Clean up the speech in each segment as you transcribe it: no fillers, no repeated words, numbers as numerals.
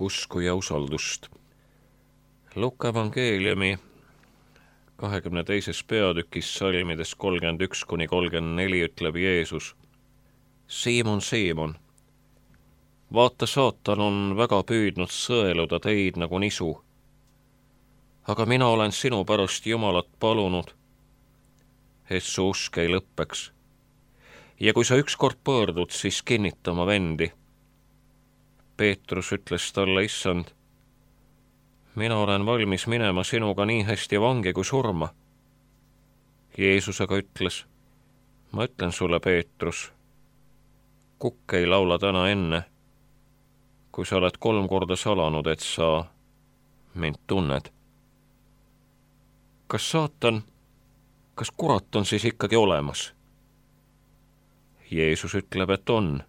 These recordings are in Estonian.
usku ja usaldust. Luka evangeeliumi 22. peatükis salmides 31–34 ütleb Jeesus: Siimon, Siimon, vaata, saatan on väga püüdnud sõeluda teid nagu nisu. Aga mina olen sinu pärast Jumalat palunud, et su usk ei lõppeks. Ja kui sa ükskord pöördud, siis kinnita oma vendi. Peetrus ütles talle: Issand, mina olen valmis minema sinuga nii hästi vangi kui surma. Jeesus aga ütles: ma ütlen sulle, Peetrus, kukk ei laula täna enne, kui sa oled 3 korda salanud, et sa mind tunned. Kas kurat on siis ikkagi olemas? Jeesus ütleb, et on.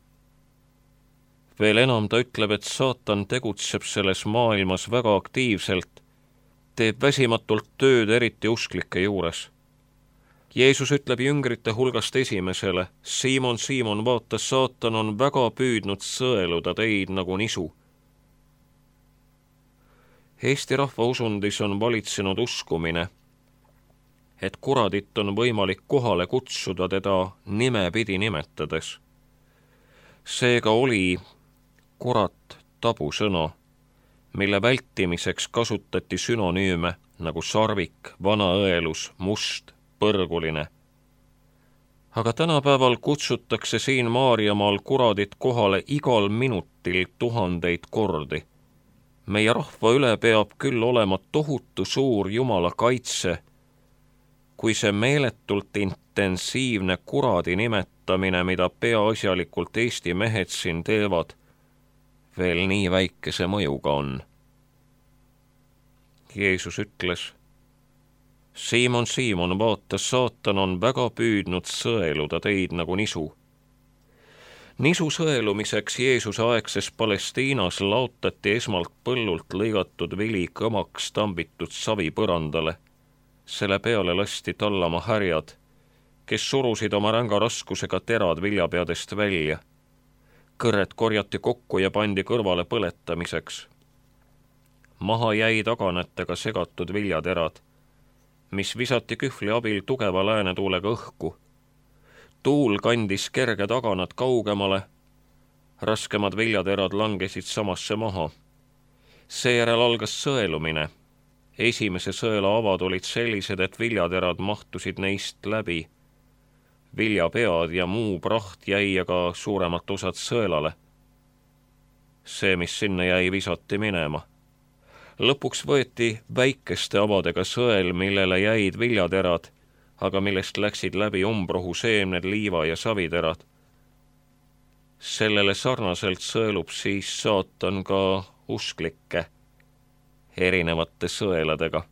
Veel enam ta ütleb, et saatan tegutseb selles maailmas väga aktiivselt, teeb väsimatult tööd eriti usklike juures. Jeesus ütleb jüngrite hulgast esimesele: Siimon, Siimon, vaata, saatan on väga püüdnud sõeluda teid nagu nisu. Eesti rahva usundis on valitsenud uskumine, et kuradit on võimalik kohale kutsuda teda nimepidi nimetades. Seega oli kurat tabusõna, mille vältimiseks kasutati sünonüüme nagu sarvik, vanaõelus, must, põrguline. Aga tänapäeval kutsutakse siin Maarjamaal kuradit kohale igal minutil 1000 kordi. Meie rahva üle peab küll olema tohutu suur Jumala kaitse, kui see meeletult intensiivne kuradi nimetamine, mida peaasjalikult Eesti mehed siin teevad, veel nii väikese mõjuga on. Jeesus ütles: Siimon, Siimon, vaata, saatan on väga püüdnud sõeluda teid nagu nisu. Nisu sõelumiseks Jeesuse aegses Palestiinas laotati esmalt põllult lõigatud vili kõmaks tambitud savi põrandale. Selle peale lasti tallama härjad, kes surusid oma ränga raskusega terad viljapeadest välja. Kõrred korjati kokku ja pandi kõrvale põletamiseks. Maha jäi taganetega segatud viljaterad, mis visati kühvli abil tugeva läänetuulega õhku. Tuul kandis kerge taganad kaugemale, raskemad viljaterad langesid samasse maha. Seejärel algas sõelumine. Esimese sõela avad olid sellised, et viljaterad mahtusid neist läbi. Viljapead ja muu praht jäi aga suuremat osad sõelale. See, mis sinna jäi, visati minema. Lõpuks võeti väikeste avadega sõel, millele jäid viljaterad, aga millest läksid läbi umbrohu seemned, liiva ja saviterad. Sellele sarnaselt sõelub siis saatan ka usklikke erinevate sõeladega.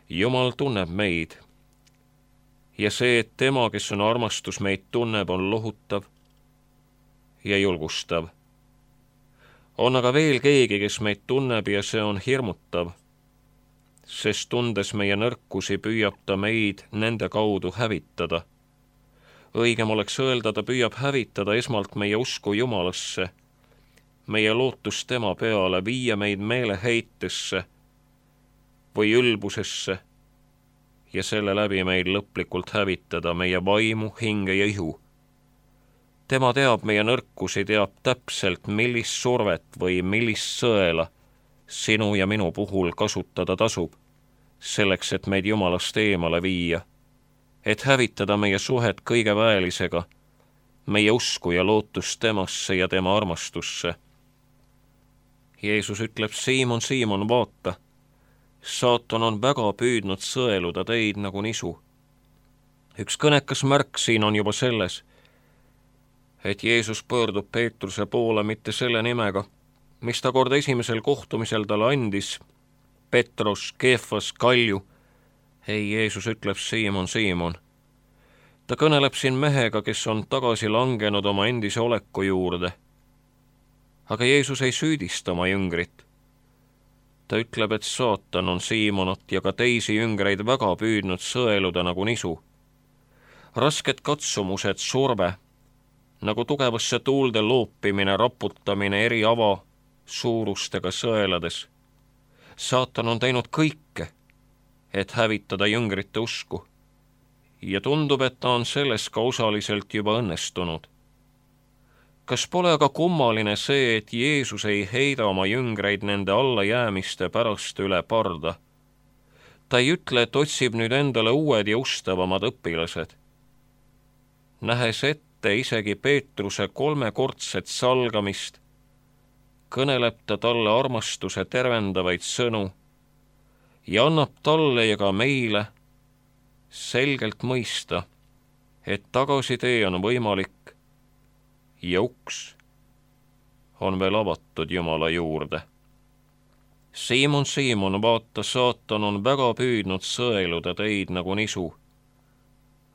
Jumal tunneb meid ja see, et tema, kes on armastus, meid tunneb, on lohutav ja julgustav. On aga veel keegi, kes meid tunneb ja see on hirmutav, sest tundes meie nõrkusi püüab ta meid nende kaudu hävitada. Õigem oleks öelda, ta püüab hävitada esmalt meie usku Jumalasse, meie lootus tema peale, viia meid meeleheitesse või ülbusesse ja selle läbi meid lõplikult hävitada, meie vaimu, hinge ja ihu. Tema teab meie nõrkusi, teab täpselt, millist survet või millist sõela sinu ja minu puhul kasutada tasub, selleks, et meid Jumalast eemale viia, et hävitada meie suhet kõige väelisega, meie usku ja lootust temasse ja tema armastusse. Jeesus ütleb: Siimon, Siimon, vaata, saatan on väga püüdnud sõeluda teid nagu nisu. Üks kõnekas märk siin on juba selles, et Jeesus pöördub Peetruse poole mitte selle nimega, mis ta kord esimesel kohtumisel talle andis: Petros, Keefas, Kalju. Ei, Jeesus ütleb: Siimon, Siimon. Ta kõneleb siin mehega, kes on tagasi langenud oma endise oleku juurde. Aga Jeesus ei süüdista oma jüngrit. Ta ütleb, et saatan on Siimonat ja ka teisi jüngreid väga püüdnud sõeluda nagu nisu. Rasked katsumused, surve, nagu tugevasse tuulde loopimine, raputamine, eri ava suurustega sõelades. Saatan on teinud kõike, et hävitada jüngrite usku. Ja tundub, et ta on selles ka osaliselt juba õnnestunud. Kas pole aga kummaline see, et Jeesus ei heida oma jüngreid nende allajäämiste pärast üle parda? Ta ei ütle, et otsib nüüd endale uued ja ustavamad õpilased. Nähes ette isegi Peetruse 3-kordset salgamist, kõneleb ta talle armastuse tervendavaid sõnu ja annab talle ja ka meile selgelt mõista, et tagasitee on võimalik ja uks on veel avatud Jumala juurde. Siimon, Siimon, vaata, saatan on väga püüdnud sõeluda teid nagu nisu,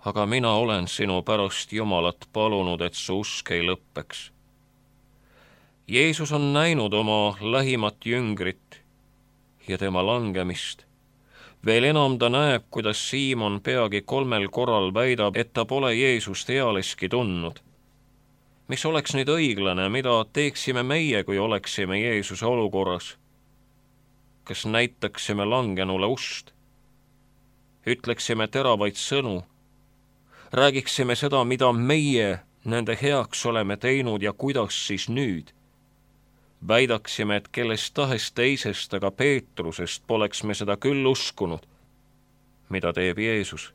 aga mina olen sinu pärast Jumalat palunud, et su usk ei lõppeks. Jeesus on näinud oma lähimat jüngrit ja tema langemist. Veel enam ta näeb, kuidas Siimon peagi 3 korral väidab, et ta pole Jeesust ealeski tundnud. Mis oleks nüüd õiglane, mida teeksime meie, kui oleksime Jeesuse olukorras? Kas näitaksime langenule ust? Ütleksime teravaid sõnu? Räägiksime seda, mida meie nende heaks oleme teinud ja kuidas siis nüüd? Väidaksime, et kellest tahes teisest, aga Peetrusest poleks me seda küll uskunud. Mida teeb Jeesus?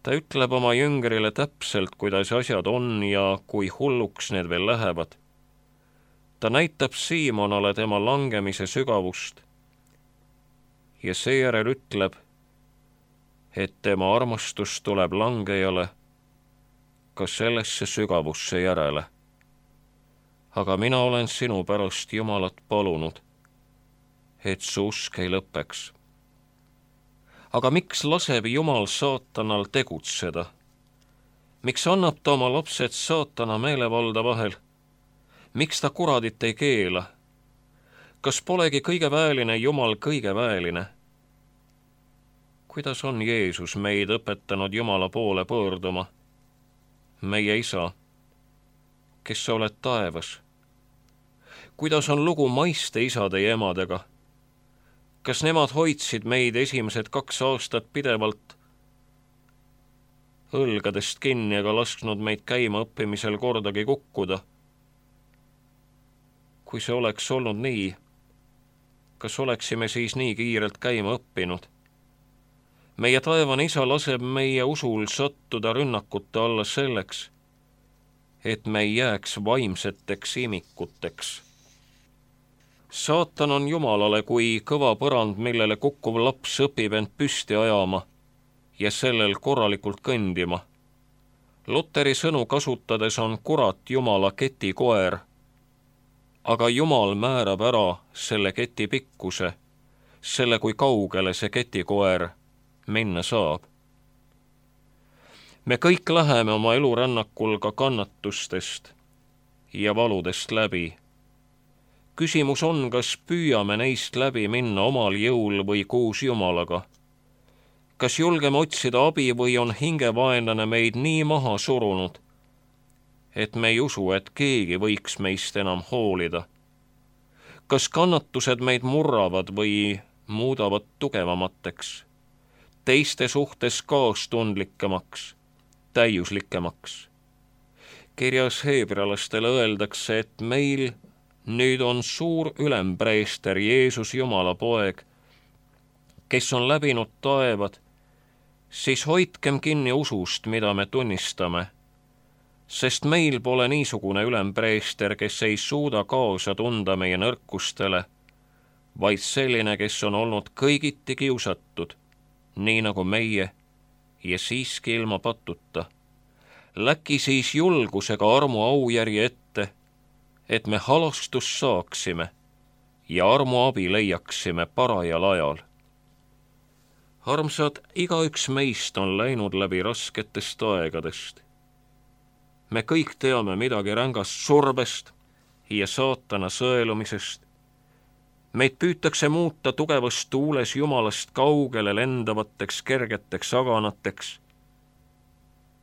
Ta ütleb oma jüngrile täpselt, kuidas asjad on ja kui hulluks need veel lähevad. Ta näitab Siimonale tema langemise sügavust ja seejärel ütleb, et tema armastus tuleb langejale ka sellesse sügavusse järele. Aga mina olen sinu pärast Jumalat palunud, et su usk ei lõppeks. Aga miks laseb Jumal saatanal tegutseda? Miks annab ta oma lapsed saatana meelevalda vahel? Miks ta kuradit ei keela? Kas polegi kõige väeline Jumal kõige väeline? Kuidas on Jeesus meid õpetanud Jumala poole pöörduma? Meie Isa, kes sa oled taevas? Kuidas on lugu maiste isade ja emadega? Kas nemad hoidsid meid esimesed 2 aastat pidevalt õlgadest kinni ega lasknud meid käima õppimisel kordagi kukkuda? Kui see oleks olnud nii, kas oleksime siis nii kiirelt käima õppinud? Meie taevane Isa laseb meie usul sattuda rünnakute alla selleks, et me ei jääks vaimseteks imikuteks. Saatan on Jumalale kui kõva põrand, millele kukkuv laps õpib end püsti ajama ja sellel korralikult kõndima. Luteri sõnu kasutades on kurat Jumala ketikoer, aga Jumal määrab ära selle keti pikkuse, selle kui kaugele see ketikoer minna saab. Me kõik läheme oma elurännakul ka kannatustest ja valudest läbi. Küsimus on, kas püüame neist läbi minna omal jõul või koos Jumalaga. Kas julgeme otsida abi või on hingevaenlane meid nii maha surunud, et me ei usu, et keegi võiks meist enam hoolida? Kas kannatused meid murravad või muudavad tugevamateks, teiste suhtes kaastundlikemaks, täiuslikemaks? Kirjas heebrealastele öeldakse, et meil nüüd on suur ülempreester Jeesus Jumala poeg, kes on läbinud taevad, siis hoidkem kinni usust, mida me tunnistame, sest meil pole niisugune ülempreester, kes ei suuda kaasa tunda meie nõrkustele, vaid selline, kes on olnud kõigiti kiusatud, nii nagu meie, ja siiski ilma patuta. Läki siis julgusega armu aujärje ette, et me halastust saaksime ja armu abi leiaksime parajal ajal. Armsad, igaüks meist on läinud läbi rasketest aegadest. Me kõik teame midagi rängast survest ja saatana sõelumisest. Meid püütakse muuta tugevas tuules Jumalast kaugele lendavateks kergeteks aganateks.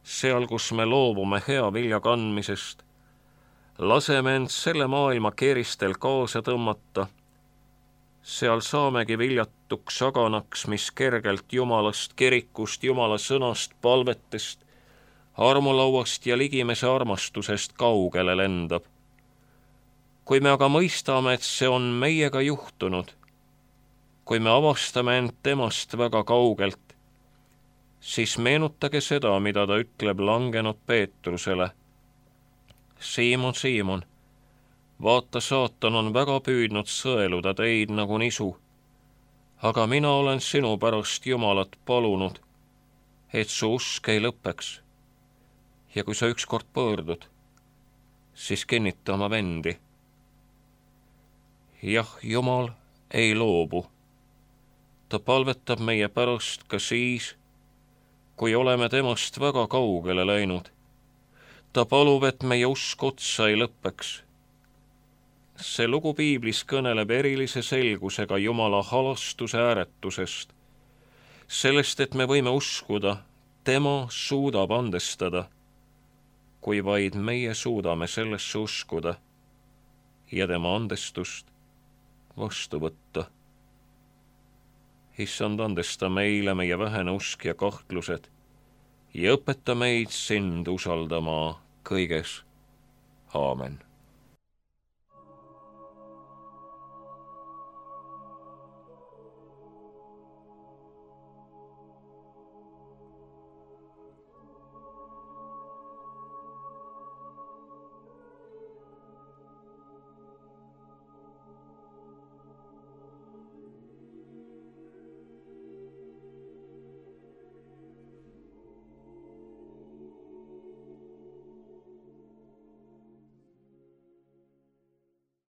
Seal, kus me loobume hea vilja kandmisest, laseme end selle maailma keeristel kaasa tõmmata, seal saamegi viljatuks aganaks, mis kergelt Jumalast, kirikust, Jumala sõnast, palvetest, armulauast ja ligimese armastusest kaugele lendab. Kui me aga mõistame, et see on meiega juhtunud, kui me avastame end temast väga kaugelt, siis meenutage seda, mida ta ütleb langenud Peetrusele. Siimon, Siimon, vaata, saatan on väga püüdnud sõeluda teid nagu nisu, aga mina olen sinu pärast Jumalat palunud, et su usk ei lõpeks. Ja kui sa ükskord pöördud, siis kinnita oma vendi. Jah, Jumal ei loobu. Ta palvetab meie pärast ka siis, kui oleme temast väga kaugele läinud. Ta palub, et meie usk otsa ei lõpeks. See lugu piiblis kõneleb erilise selgusega Jumala halastuse ääretusest, sellest, et me võime uskuda, tema suudab andestada, kui vaid meie suudame sellesse uskuda ja tema andestust vastu võtta. Issand, andesta meile meie vähene usk ja kahtlused ja õpeta meid sind usaldama kõiges. Aamen.